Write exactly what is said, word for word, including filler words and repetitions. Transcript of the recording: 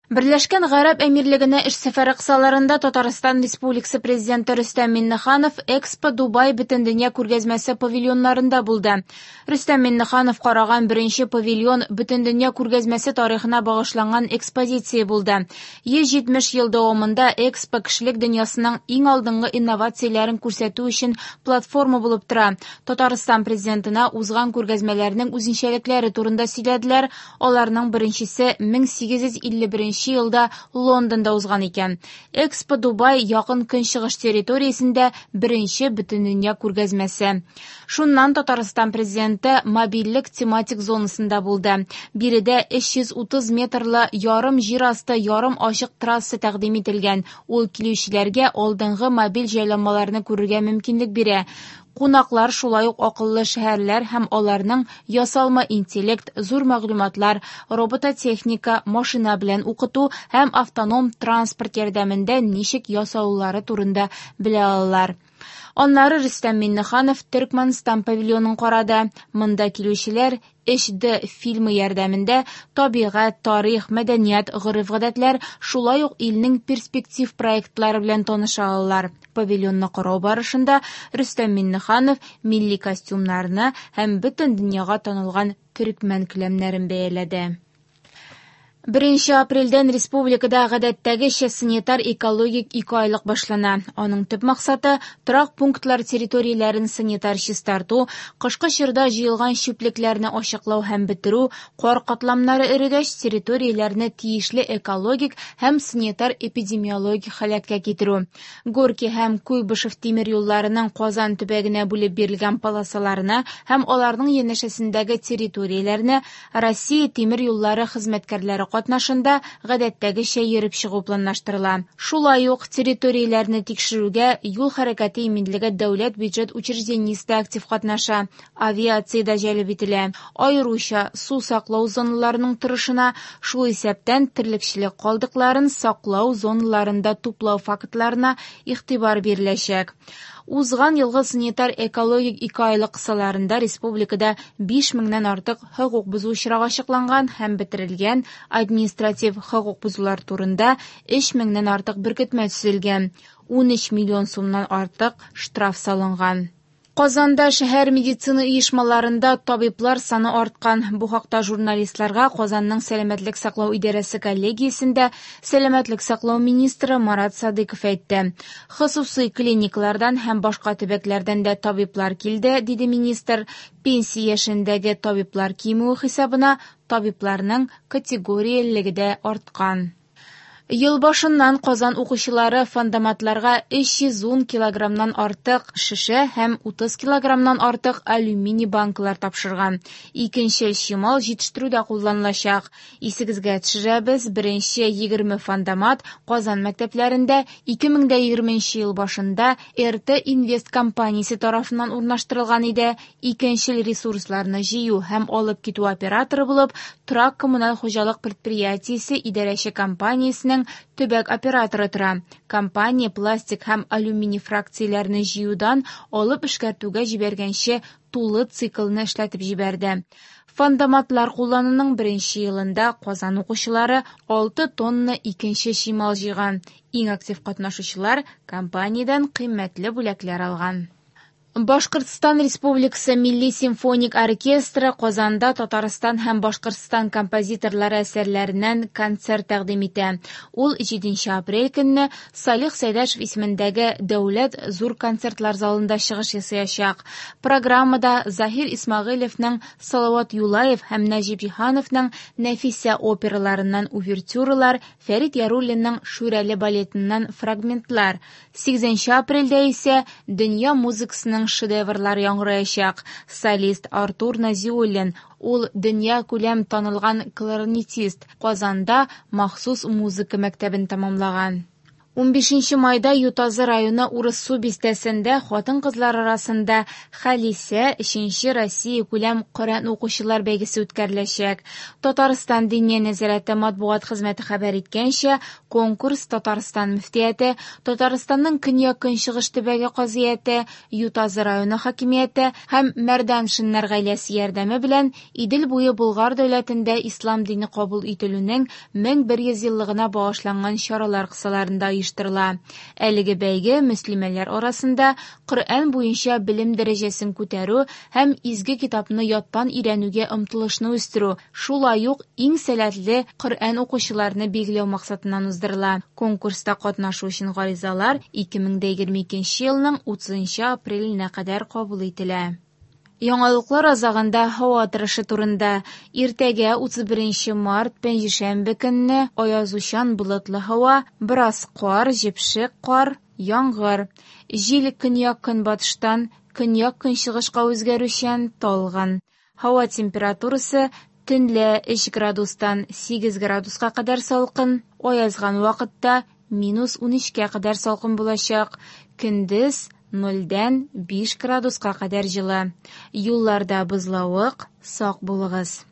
Берләшкән Гарәп Әмирлегенә эш сәфәре кысаларында Татарстан Республикасы Президенты Рөстәм Миңнеханов Экспо Дубай Бөтендөнья күргәзмәсе павильоннарында булды. Рөстәм Миңнеханов караган беренче павильон Бөтендөнья күргәзмәсе тарихына багышланган экспозиция булды. йөз җитмеш ел дәвамында Экспо кешелек дөньясының иң алдынгы инновацияләрен күрсәтү өчен платформа булып тора. Татарстан Президентына узган күргәзмәләрнең үзенчәлекләре турында сөйләделәр. Аларның беренчесе мең сигез йөз илле беренче елда Лондонда узган икән. Экспо Дубай якын көнчыгыш территориясендә беренче бөтендөнья күргәзмәсе. Шуннан Татарстан Президенты мобильлек тематик зонасында булды. Биредә өч йөз утыз метрлы ярым җир асты, ярым ачык трасса тәкъдим ителгән. Ул килүчеләргә алдынгы мобиль җайланмаларны күрергә мөмкинлек бирә. Кунаклар шулай ук акыллы шәһәрләр һәм аларның ясалма интеллект, зур мәгълүматлар, робототехника, машина белән укыту һәм автоном транспорт ярдәмендә ничек ясалулары турында белә алалар. Аннары Рөстәм Миңнеханов Төркмәнстан павильонын карады. Монда килүчеләр өч Д фильмы ярдәмендә табигать, тарих, мәдәният, гореф-гадәтләр, шулай ук илнең перспектив проектлары белән таныша алалар. Павильонны карау барышында Рөстәм Миңнеханов милли костюмнарны һәм бөтен дөньяга танылган төркмән келәмнәрен бәяләде. Беренче апрельдән республикада гадәттәгечә санитар экологик ике айлык башлана. Аның төп максаты торак пунктлар территорияләрен санитар чистарту, кышкы чорда җыелган чүплекләрне ачыклау һәм бетерү, кар катламнары эрегәч территорияләрне тиешле экологик һәм санитар эпидемиологик халәткә китерү. Горки һәм Куйбышев тимер юлларының Казан төбәгенә бүлеп бирелгән полосаларына һәм аларның янәшәсендәге территорияләрне Россия тимер юллары хезмәткәрләре катнашында гадәттәгечә йөреп чыгу планлаштырыла. Шулай ук территорияләрне тикшерүгә юл хәрәкәте иминлеге дәүләт бюджет учреждениесе дә актив катнаша, авиация дә җәлеп ителә. Аеруча су саклау зоналарының торышына, шул исәптән терлекчелек калдыкларын саклау зоналарында туплау фактларына игътибар биреләчәк. Узган елгы санитар экологик ике айлык кысаларында республикада биш меңнән артык хокук бозу очрагы ачыкланган һәм бетерелгән, административ хокук бозулар турында өч меңнән артык беркетмә төзелгән, ун өч миллион сумнан артык штраф салынган. Казанда шәһәр медицина оешмаларында табиблар саны арткан. Бу хакта журналистларга Казанның сәламәтлек саклау идарәсе коллегиясендә сәламәтлек саклау министры Марат Садыков әйтте. Хосусый клиникалардан һәм башка төбәкләрдән дә табиблар килде, диде министр. Пенсия яшендәге табиблар кимүе хисабына табибларның категориялелеге дә арткан. Ел башыннан Казан укучылары фандоматларга өч йөз ун килограммнан артык шешә һәм утыз килограммнан артык алюминий банкалар тапшырган. Икенче чимал җитештерүдә кулланылачак. Исегезгә төшерәбез, беренче егерме фандомат Казан мәктәпләрендә ике мең дә егерменче ел башында Р Т Инвест компаниясе тарафыннан урнаштырылган иде. Икенчел ресурсларны җыю һәм алып китү операторы булып Торак коммуналь хуҗалык предприятиесе идарәче компаниясенең төбәк операторы тора. Компания пластик һәм алюминий фракцияләрне җыюдан алып эшкәртүгә җибәргәнче тулы циклны эшләтеп җибәрде. Фандоматлар куллануның беренче елында Казан укучылары алты тонна икенче чимал җыйган. Иң актив катнашучылар компаниядән кыйммәтле бүләкләр алган. Башкортстан Республикасы Милли симфоник оркестры Казанда Татарстан һәм Башкортстан композиторлары әсәрләреннән концерт тәкъдим итә. Ул җиденче апрель көнне Салих Сәйдәшев исемендәге Дәүләт зур концертлар залында чыгыш ясаячак. Программада Заһир Исмәгыйлевның Салават Юлаев һәм Нәҗип Җиһановның Нәфисә операларыннан увертюралар, Фәрит Яруллинның Шүрәле балетыннан фрагментлар. Сигезенче апрельдә исә дөнья музыкасының шедеврлар яңгыраячак. Солист Артур Назиуллин, ул дөнья күләм танылган кларнетист, Казанда махсус музыка мәктәбен тәмамлаган. Унбишенче майда Ютазы районы Урыссу бистәсендә хатын-кызлар арасында «Халисә» өченче Россиякүләм Коръән укучылар бәйгесе үткәреләчәк. Татарстан Диния нәзарәте матбугат хезмәте хәбәр иткәнчә, конкурс Татарстан мөфтияте, Татарстанның Көньяк-Көнчыгыш төбәге казыяте, Ютазы районы хакимияте һәм Мәрданшиннар гаиләсе ярдәме белән Идел буе Болгар дәүләтендә ислам дине кабул ителүнең мең бер йөз еллыгына багышланган чаралар кысаларында оештырыла. Әлеге бәйге мөслимәләр арасында Коръән буенча белем дәрәҗәсен күтәрү һәм изге китапны яттан өйрәнүгә омтылышны үстерү, шулай ук иң сәләтле Коръән укучыларны билгеләү максатыннан уздырыла. Конкурста катнашу өчен гаризалар ике мең дә егерме икенче елның утызынчы апреленә кадәр кабул ителә. Яңалыклар азагында һава торышы турында. Иртәгә утыз беренче март пәнҗешәмбе көнне аязучан болытлы һава, бераз кар, җепшек кар, яңгыр. Җил көньяк-көнбатыштан көньяк-көнчыгышка үзгәрүчән талгын. Һава температурасы төнлә өч градустан сигез градуска кадәр салкын, аязган вакытта минус унөчкә кадәр салкын булачак. Көндез нольдән биш градуска кадәр җылы. Юлларда бозлавык, сак булыгыз.